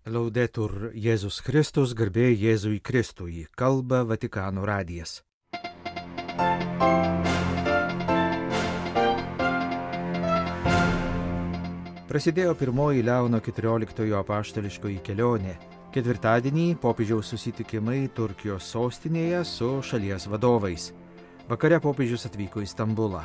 Laudetur Jėzus Kristus, garbė Jėzui Kristui, kalba Vatikano radijas. Prasidėjo pirmoji Leono XIV apaštališkoji kelionė. Ketvirtadienį popiežiaus susitikimai Turkijos sostinėje su šalies vadovais. Vakare popiežius atvyko į Stambulą.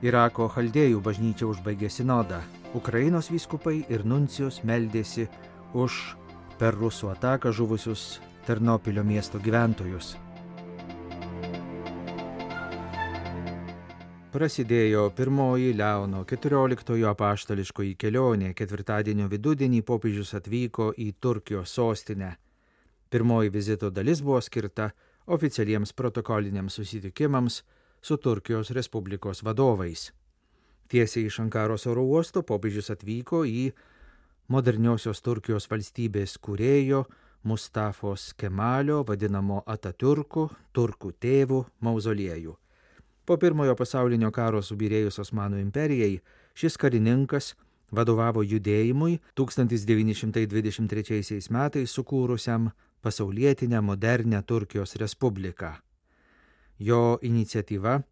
Irako chaldėjų bažnyčia užbaigė sinodą. Ukrainos vyskupai ir nuncijus meldėsi už per rusų ataką žuvusius Ternopilio miesto gyventojus. Prasidėjo pirmoji Leono XIV apaštališkoji kelionė. Ketvirtadienio vidudienį popiežius atvyko į Turkijos sostinę. Pirmoji vizito dalis buvo skirta oficialiems protokoliniams susitikimams su Turkijos Respublikos vadovais. Tiesiai iš Ankaros oro uosto popiežius atvyko į moderniosios Turkijos valstybės kūrėjo Mustafos Kemalio, vadinamo Atatiurku, turkų tėvų mauzoliejų. Po pirmojo pasaulinio karo subyrėjus Osmanų imperijai, šis karininkas vadovavo judėjimui 1923 metais sukūrusiam pasaulietinę modernę Turkijos Respubliką. Jo iniciatyva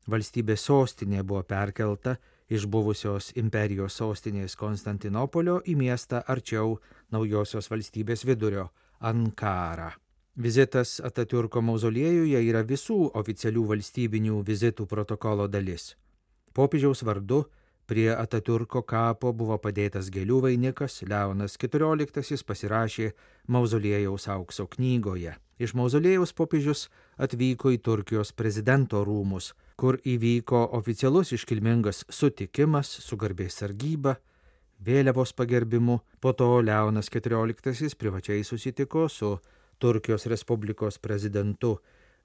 valstybės sostinė buvo perkelta iš buvusios imperijos sostinės Konstantinopolio į miestą arčiau naujosios valstybės vidurio – Ankarą. Vizitas Atatiurko mauzoliejuje yra visų oficialių valstybinių vizitų protokolo dalis. Popiežiaus vardu prie Atatiurko kapo buvo padėtas gėlių vainikas, Leonas XIV pasirašė mauzoliejaus aukso knygoje. Iš mauzoliejaus popiežius atvyko į Turkijos prezidento rūmus, kur įvyko oficialus iškilmingas sutikimas su garbės sargyba, vėliavos pagerbimu. Po to Leonas XIV privačiai susitiko su Turkijos Respublikos prezidentu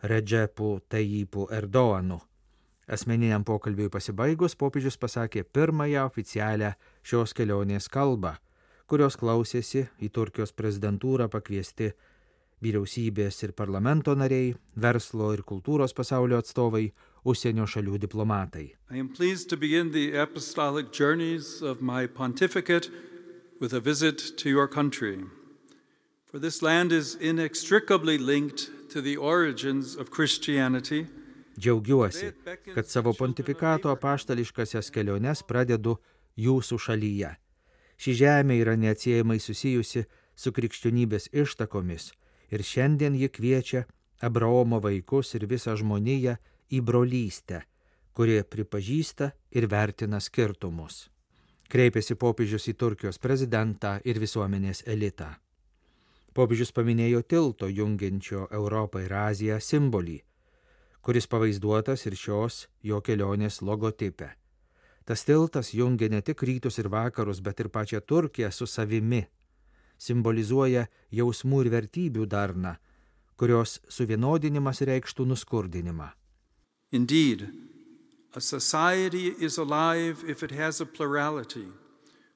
Redžepu Tayyipu Erdoğanu. Asmeniniam pokalbiui pasibaigus popiežius pasakė pirmąją oficialią šios kelionės kalbą, kurios klausėsi į Turkijos prezidentūrą pakviesti vyriausybės ir parlamento nariai, verslo ir kultūros pasaulio atstovai, užsienio šalių diplomatai. I am pleased to begin the apostolic journeys of my pontificate with a visit to your country. For this land is inextricably linked to the origins of Christianity. Džiaugiuosi, kad savo pontifikato apaštališkasias keliones pradedu jūsų šalyje. Ši žemė yra neatsiejamai susijusi su krikščionybės ištakomis ir šiandien ji kviečia Abraomo vaikus ir visą žmoniją į brolystę, kurie pripažįsta ir vertina skirtumus. Kreipėsi popiežius į Turkijos prezidentą ir visuomenės elitą. Popiežius paminėjo tilto jungiančio Europą ir Aziją simbolį, kuris pavaizduotas ir šios jo kelionės logotipe. Tas tiltas jungia ne tik rytus ir vakarus, bet ir pačią Turkiją su savimi. Simbolizuoja jausmų ir vertybių darną, kurios suvienodinimas reikštų nuskurdinimą. Indeed, a society is alive if it has a plurality.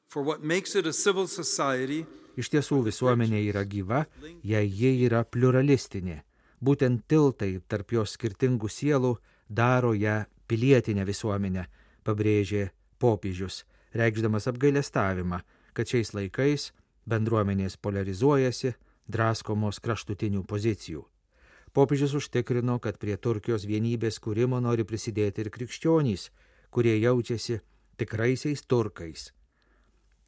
For what makes it a civil society, iš tiesų visuomenė yra gyva, jei ji yra pluralistinė. Būtent tiltai tarp jos skirtingų sielų daro ją pilietinę visuomenę, pabrėžė popiežius, reikšdamas apgailestavimą, kad šiais laikais bendruomenės polarizuojasi, draskomos kraštutinių pozicijų. Popiežius užtikrino, kad prie Turkijos vienybės kūrimo nori prisidėti ir krikščionys, kurie jaučiasi tikraisiais turkais.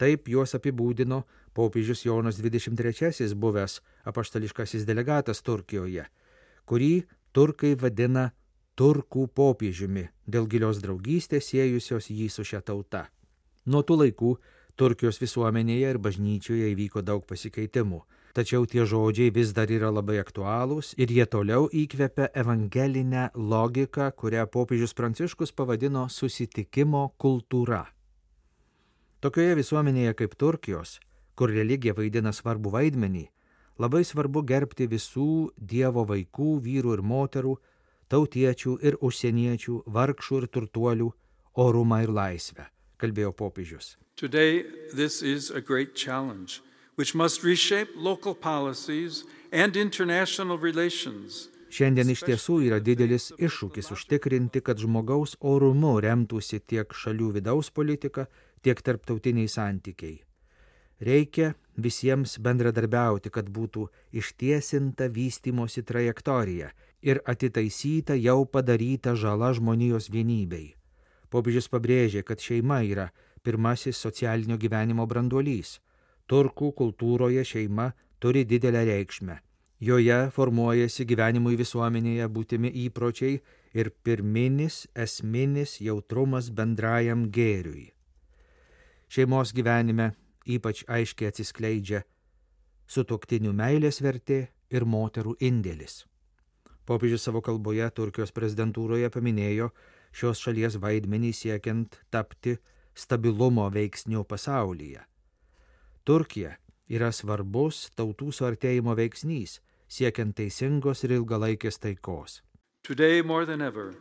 Taip juos apibūdino popiežius Jonas XXIII, buvęs apaštališkasis delegatas Turkijoje, kurį turkai vadina turkų popiežiumi dėl gilios draugystės siejusios jį su šia tauta. Nuo tų laikų Turkijos visuomenėje ir bažnyčioje įvyko daug pasikeitimų, tačiau tie žodžiai vis dar yra labai aktualūs ir jie toliau įkvepia evangelinę logiką, kurią popiežius Pranciškus pavadino susitikimo kultūra. Tokioje visuomenėje kaip Turkijos, kur religija vaidina svarbų vaidmenį, labai svarbu gerbti visų Dievo vaikų, vyrų ir moterų, tautiečių ir užsieniečių, vargšų ir turtuolių orumą ir laisvę, kalbėjo popiežius. Today this is a great challenge, which must reshape local policies and international relations. Šiandien iš tiesų yra didelis iššūkis užtikrinti, kad žmogaus orumu remtųsi tiek šalių vidaus politika, tiek tarptautiniai santykiai. Reikia visiems bendradarbiauti, kad būtų ištiesinta vystymosi trajektorija ir atitaisyta jau padaryta žala žmonijos vienybei. Popiežius pabrėžė, kad šeima yra pirmasis socialinio gyvenimo branduolys. Turkų kultūroje šeima turi didelę reikšmę. Joje formuojasi gyvenimui visuomenėje būtimi įpročiai ir pirminis esminis jautrumas bendrajam gėriui. Šeimos gyvenime ypač aiškiai atsiskleidžia sutuoktinių meilės vertė ir moterų indėlis. Popiežius savo kalboje Turkijos prezidentūroje paminėjo šios šalies vaidmenį siekiant tapti stabilumo veiksniu pasaulyje. Turkija yra svarbus tautų suartėjimo veiksnys, siekiant teisingos ir ilgalaikės taikos. Today more than ever,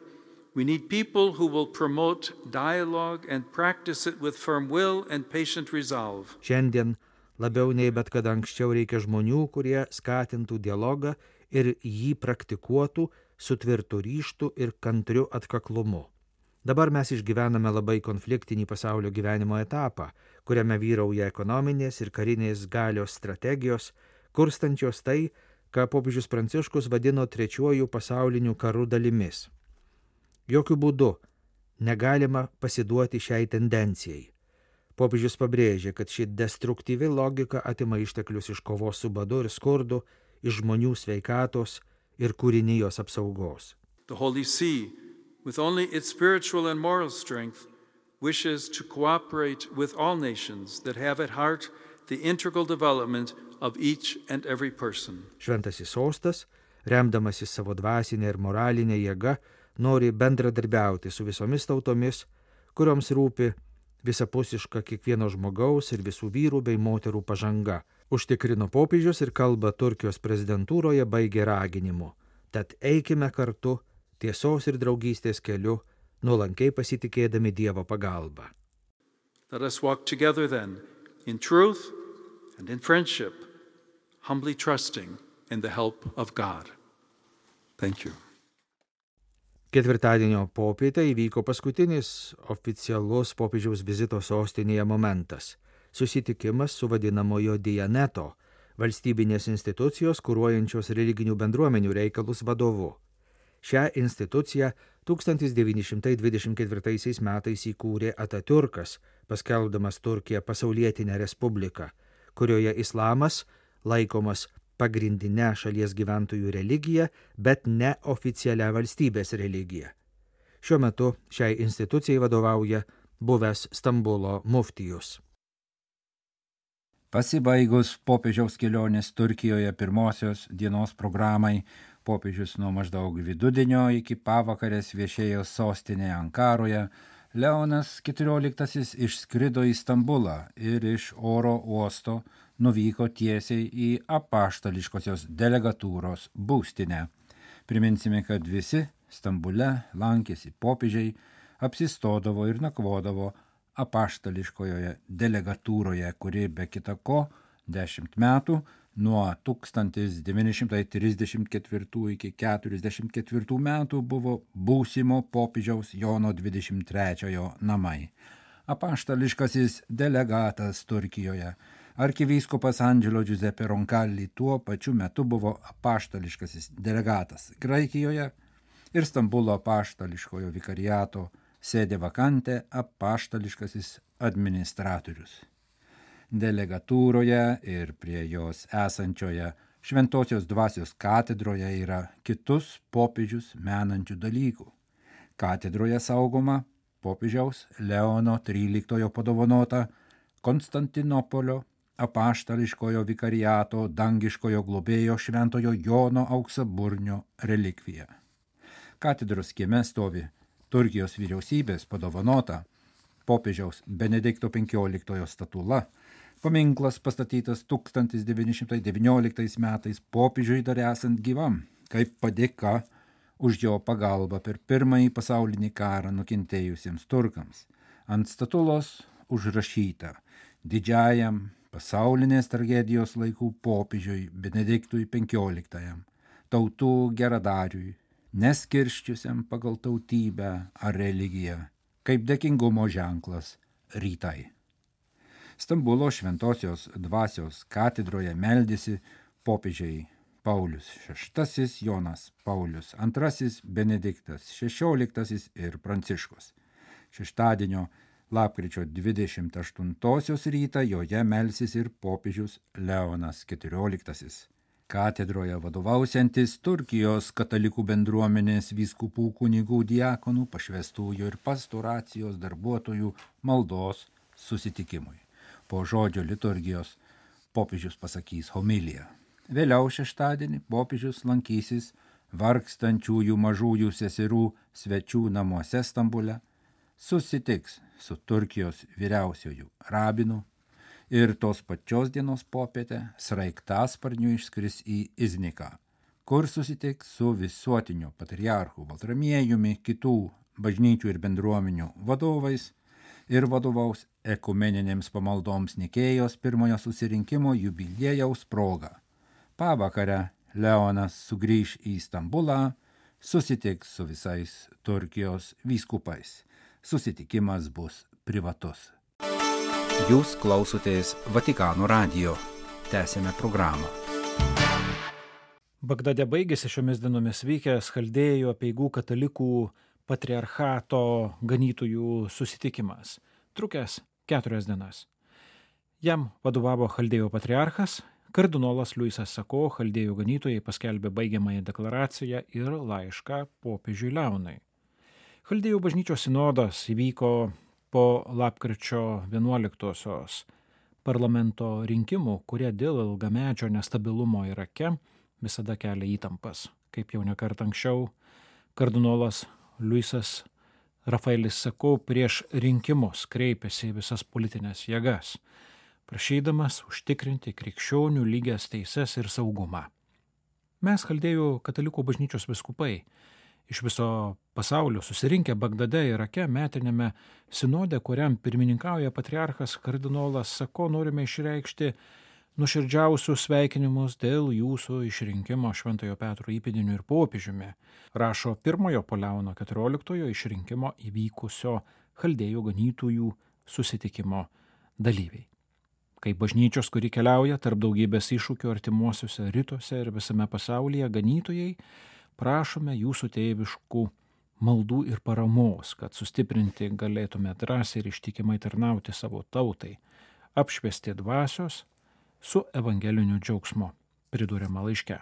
we need people who will promote dialogue and practice it with firm will and patient resolve. Šiandien labiau nei bet kada anksčiau reikia žmonių, kurie skatintų dialogą ir jį praktikuotų su tvirtu ryžtu ir kantriu atkaklumu. Dabar mes išgyvename labai konfliktinį pasaulio gyvenimo etapą, kuriame vyrauja ekonominės ir karinės galios strategijos, kurstančios tai, ką popiežius Pranciškus vadino trečiuoju pasauliniu karu dalimis. Jokių būdų negalima pasiduoti šiai tendencijai. Popiežius pabrėžė, kad ši destruktyvi logika atima išteklius iš kovos su badu ir skurdu, iš žmonių sveikatos ir kūrinijos apsaugos. The Holy See, with only its spiritual and moral strength, wishes to cooperate with all nations that have at heart the integral development of each and every person. Šventasis sostas, remdamasis savo dvasinę ir moralinę jėgą, nori bendradarbiauti su visomis tautomis, kurioms rūpi visapusiška kiekvieno žmogaus ir visų vyrų bei moterų pažanga, užtikrino popiežius ir kalbą Turkijos prezidentūroje baigė raginimu. Tad eikime kartu tiesos ir draugystės keliu, nuolankiai pasitikėdami Dievo pagalbą. Let us walk together then, in truth and in friendship, humbly trusting in the help of God. Thank you. Ketvirtadienio popietę įvyko paskutinis oficialus popiežiaus vizito sostinėje momentas – susitikimas su vadinamojo Dianeto, valstybinės institucijos kuruojančios religinių bendruomenių reikalus vadovu. Šią instituciją 1924 metais įkūrė Atatiurkas, paskelbdamas Turkiją pasaulietinę respubliką, kurioje islamas laikomas pagrindinę šalies gyventojų religiją, bet ne oficialią valstybės religiją. Šiuo metu šiai institucijai vadovauja buvęs Stambulo muftijus. Pasibaigus popiežiaus kelionės Turkijoje pirmosios dienos programai, popiežius nuo maždaug vidudienio iki pavakarės viešėjo sostinėje Ankaroje, Leonas XIV išskrido į Stambulą ir iš oro uosto nuvyko tiesiai į apaštališkosios delegatūros būstinę. Priminsime, kad visi Stambule lankėsi popiežiai, apsistodavo ir nakvodavo apaštališkojoje delegatūroje, kuri be kita ko 10 metų nuo 1934 iki 1944 metų buvo būsimo popiežiaus Jono 23 namai. Apaštališkasis delegatas Turkijoje, arkivyskupas Angelo Giuseppe Roncalli tuo pačiu metu buvo apaštališkasis delegatas Graikijoje ir Stambulo apaštališkojo vikariato sėdė vakante apaštališkasis administratorius. Delegatūroje ir prie jos esančioje Šventosios dvasios katedroje yra kitus popiežius menančių dalykų. Katedroje saugoma popiežiaus Leono XIII padovanota Konstantinopolio apaštališkojo vikariato dangiškojo globėjo šventojo Jono auksaburnio relikvija. Katedros kieme stovi Turkijos vyriausybės padovanota popiežiaus Benedikto XV statula, paminklas pastatytas 1919 metais popiežiui dar esant gyvam, kaip padėka už jo pagalbą per Pirmąjį pasaulinį karą nukentėjusiems turkams. Ant statulos užrašyta didžiajam pasaulinės tragedijos laikų popiežiui Benediktui XV, tautų geradariui, neskirsčiusiam pagal tautybę ar religiją, kaip dėkingumo ženklas rytai. Stambulo Šventosios dvasios katedroje meldėsi popiežiai Paulius VI, Jonas Paulius II, Benediktas XVI ir Pranciškus. Šeštadienio lapkričio 28 rytą joje melsis ir popiežius Leonas XIV. Katedroje vadovausiantis Turkijos katalikų bendruomenės vyskupų, kunigų, diakonų, pašvestųjų ir pastoracijos darbuotojų maldos susitikimui. Po žodžio liturgijos popiežius pasakys homiliją. Vėliau šeštadienį popiežius lankysis vargstančiųjų mažųjų seserų svečių namuose Stambule, susitiks su Turkijos vyriausiuoju rabinu ir tos pačios dienos popietę sraigtasparniu išskris į Izniką, kur susitiks su visuotiniu patriarchu Baltramiejumi, kitų bažnyčių ir bendruomenių vadovais ir vadovaus ekumeninėms pamaldoms Nikėjos pirmojo susirinkimo jubiliejaus proga. Pavakare Leonas sugrįž į Stambulą, susitiks su visais Turkijos vyskupais. Susitikimas bus privatus. Jūs klausotės Vatikano radijo. Tęsėme programą. Bagdade baigėsi šiomis dienomis vykęs Chaldėjų apeigų katalikų patriarchato ganytojų susitikimas, trukęs 4 dienas. Jam vadovavo Chaldėjų patriarchas, kardinolas Luisas Sako. Chaldėjų ganytojai paskelbė baigiamąją deklaraciją ir laišką popiežiui Leonui. Chaldėjų bažnyčios sinodas įvyko po lapkričio 11-osios parlamento rinkimų, kurie dėl ilgamečio nestabilumo Irake visada kelia įtampas. Kaip jau nekart anksčiau, kardinolas Luisas Rafaelis Sako prieš rinkimus kreipėsi į visas politinės jėgas, prašydamas užtikrinti krikščionių lygias teises ir saugumą. Mes, Chaldėjų katalikų bažnyčios vyskupai, iš viso pasaulio susirinkę Bagdade, Irake, metinėme sinode, kuriam pirmininkauja patriarchas kardinolas Sako, norime išreikšti nuoširdžiausius sveikinimus dėl jūsų išrinkimo Šventojo Petro įpėdiniu ir popiežiumi, rašo pirmojo po Leono XIV išrinkimo įvykusio Chaldėjų ganytojų susitikimo dalyviai. Kaip bažnyčios, kuri keliauja tarp daugybės iššūkių artimuosiuose rytuose ir visame pasaulyje, ganytojai, prašome jūsų tėviškų maldų ir paramos, kad sustiprinti galėtume drąsiai ir ištikimai tarnauti savo tautai, apšviesti dvasios su evangeliniu džiaugsmu, priduriama laiške.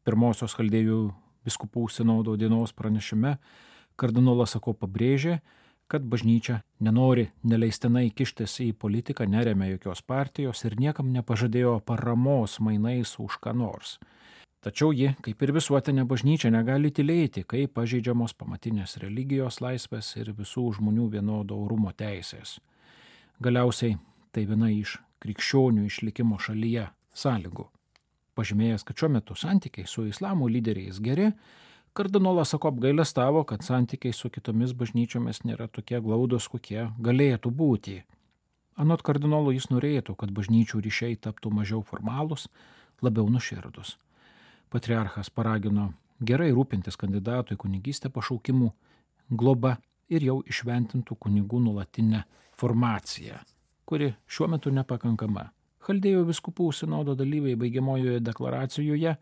Pirmosios Chaldėjų vyskupų sinodo dienos pranešime kardinolas Sako pabrėžė, kad bažnyčia nenori neleistinai kištis į politiką, neremia jokios partijos ir niekam nepažadėjo paramos mainais už ką nors. Tačiau ji, kaip ir visuotinė bažnyčia, negali tylėti, kai pažeidžiamos pamatinės religijos laisvės ir visų žmonių vienodo orumo teisės. Galiausiai tai viena iš krikščionių išlikimo šalyje sąlygų. Pažymėjęs, kad šiuo metu santykiai su islamo lyderiais geri, kardinolas Sako apgailestavo, kad santykiai su kitomis bažnyčiomis nėra tokie glaudus, kokie galėtų būti. Anot kardinolo jis norėtų, kad bažnyčių ryšiai taptų mažiau formalūs, labiau nuoširdūs. Patriarchas paragino gerai rūpintis kandidatų į kunigystę pašaukimų globa ir jau išventintų kunigų nuolatinę formaciją, kuri šiuo metu nepakankama. Chaldėjų vyskupų sinodo dalyviai baigiamojoje deklaracijoje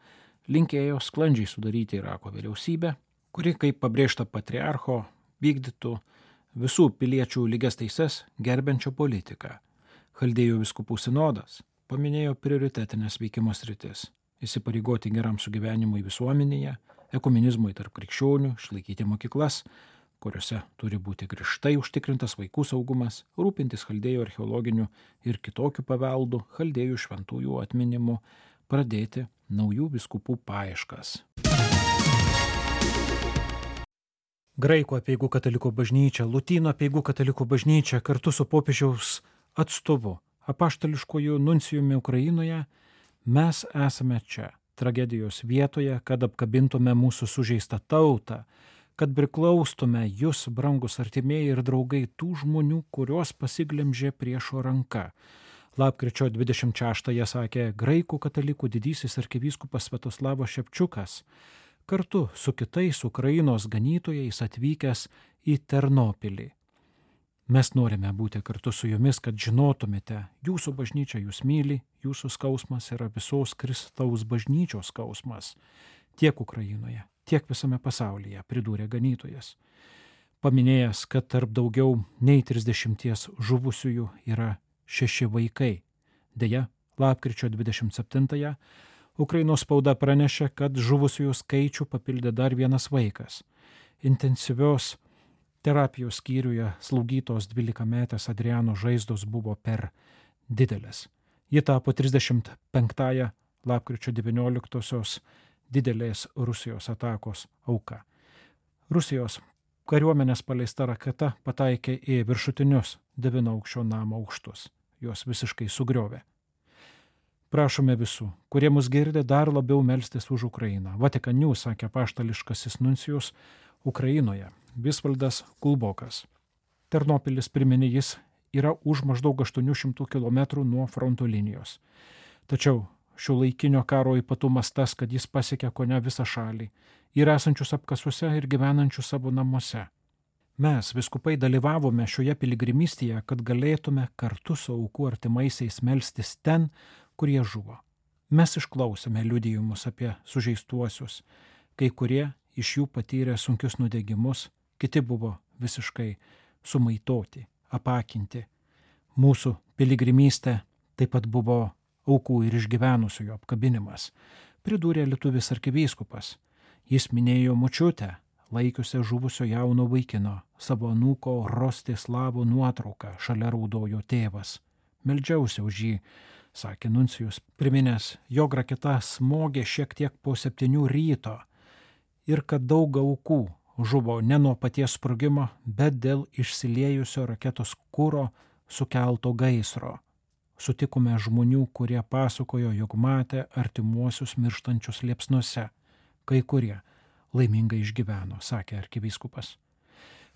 linkėjo sklandžiai sudaryti Irako vyriausybę, kuri, kaip pabrėžta patriarcho, vykdytų visų piliečių lygias teises gerbiančią politiką. Chaldėjų vyskupų sinodas paminėjo prioritetinės veikimo sritis – įsipareigoti geram sugyvenimui visuomenėje, ekumenizmui tarp krikščionių, išlaikyti mokyklas, kuriuose turi būti griežtai užtikrintas vaikų saugumas, rūpintis Chaldėjų archeologiniu ir kitokiu paveldu, Chaldėjų šventųjų atminimu, pradėti naujų vyskupų paieškas. Graikų apeigų katalikų bažnyčia, Lotynų apeigų katalikų bažnyčia kartu su popiežiaus atstovu, apaštališkuoju nuncijumi Ukrainoje, mes esame čia, tragedijos vietoje, kad apkabintume mūsų sužeistą tautą, kad priklaustume jūs, brangus artimieji ir draugai, tų žmonių, kurios pasiglemžė priešo ranka. Lapkričio 26-ąją sakė graikų katalikų didysis arkivyskupas Sviatoslavas Ševčiukas, kartu su kitais Ukrainos ganytojais atvykęs į Ternopilį. Mes norime būti kartu su jumis, kad žinotumėte, jūsų bažnyčia jūs myli, jūsų skausmas yra visos Kristaus bažnyčios skausmas, tiek Ukrainoje, tiek visame pasaulyje, pridūrė ganytojas. Paminėjęs, kad tarp daugiau nei 30 žuvusiųjų yra 6 vaikai. Deja, lapkričio 27-ąją Ukrainos spauda pranešė, kad žuvusiųjų skaičių papildė dar vienas vaikas. Intensyvios terapijos skyriuje slaugytos 12-metės Adriano žaizdos buvo per didelės. Ji tapo 35-ąją lapkričio 19-osios didelės Rusijos atakos auka. Rusijos kariuomenės paleista raketa pataikė į viršutinius 9-aukščio namo aukštus. Juos visiškai sugriovė. Prašome visų, kurie mus girdė, dar labiau melstis už Ukrainą. Vatican News sakė apaštališkasis nuncijus Ukrainoje, Visvaldas Kulbokas. Ternopilis, priminė jis, yra už maždaug 800 km nuo fronto linijos. Tačiau šiuolaikinio karo ypatumas tas, kad jis pasiekė kone visą šalį, yra esančius apkasuose ir gyvenančius savo namuose. Mes, vyskupai, dalyvavome šioje piligrimystėje, kad galėtume kartu su aukų artimaisiais melstis ten, kur jie žuvo. Mes išklausėme liudijimus apie sužeistuosius, kai kurie iš jų patyrė sunkius nudegimus, kiti buvo visiškai sumaitoti, apakinti. Mūsų piligrimystė taip pat buvo aukų ir išgyvenusiųjų apkabinimas, pridūrė lietuvis arkivyskupas. Jis minėjo močiutę, laikiusią žuvusio jauno vaikino, savo anūko Rostislavo nuotrauką, šalia raudojo tėvas. Meldžiausi už jį, sakė nuncijus, priminęs, jog raketa smogė šiek tiek po 7 ryto ir kad daug aukų žuvo ne nuo paties sprogimo, bet dėl išsiliejusio raketos kuro sukelto gaisro. Sutikome žmonių, kurie pasakojo, jog matė artimuosius mirštančius liepsnuose. Kai kurie laimingai išgyveno, sakė arkivyskupas.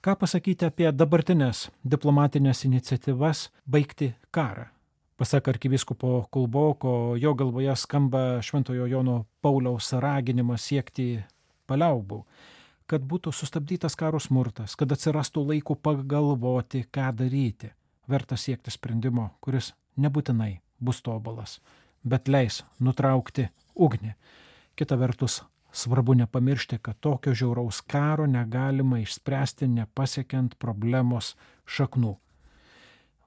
Ką pasakyti apie dabartinės diplomatinės iniciatyvas baigti karą? Pasak arkivyskupo Kulboko, jo galvoje skamba Šventojo Jono Pauliaus raginimas siekti paliaubų, kad būtų sustabdytas karo smurtas, kad atsirastų laiko pagalvoti, ką daryti. Verta siekti sprendimo, kuris nebūtinai bus tobulas, bet leis nutraukti ugnį. Kita vertus, svarbu nepamiršti, kad tokio žiauraus karo negalima išspręsti nepasiekiant problemos šaknų.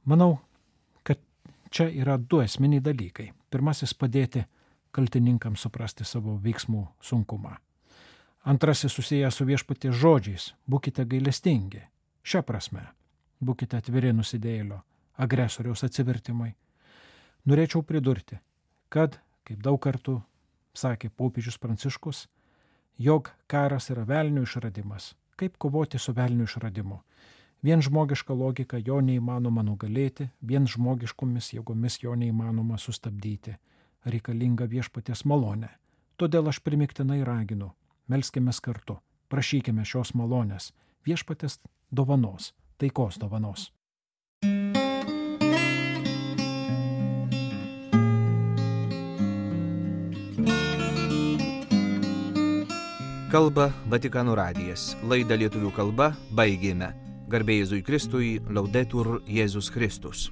Manau, kad čia yra 2 esminiai dalykai. Pirmasis – padėti kaltininkams suprasti savo veiksmų sunkumą. Antrasis susijęs su viešpaties žodžiais – būkite gailestingi. Šia prasme – būkite atviri nusidėjėlio, agresoriaus atsivertimai. Norėčiau pridurti, kad, kaip daug kartų sakė popiežius Pranciškus, jog karas yra velnio išradimas. Kaip kovoti su velnio išradimu? Vien žmogiška logika jo neįmanoma nugalėti, vien žmogiškomis jėgomis jo neįmanoma sustabdyti. Reikalinga viešpaties malonė. Todėl aš primiktinai raginu, melskimės kartu, prašykime šios malonės, viešpaties dovanos, taikos dovanos. Kalba Vatikano radijas. Laidą lietuvių kalba baigėme. Garbė Jėzui Kristui, Laudetur Jėzus Kristus.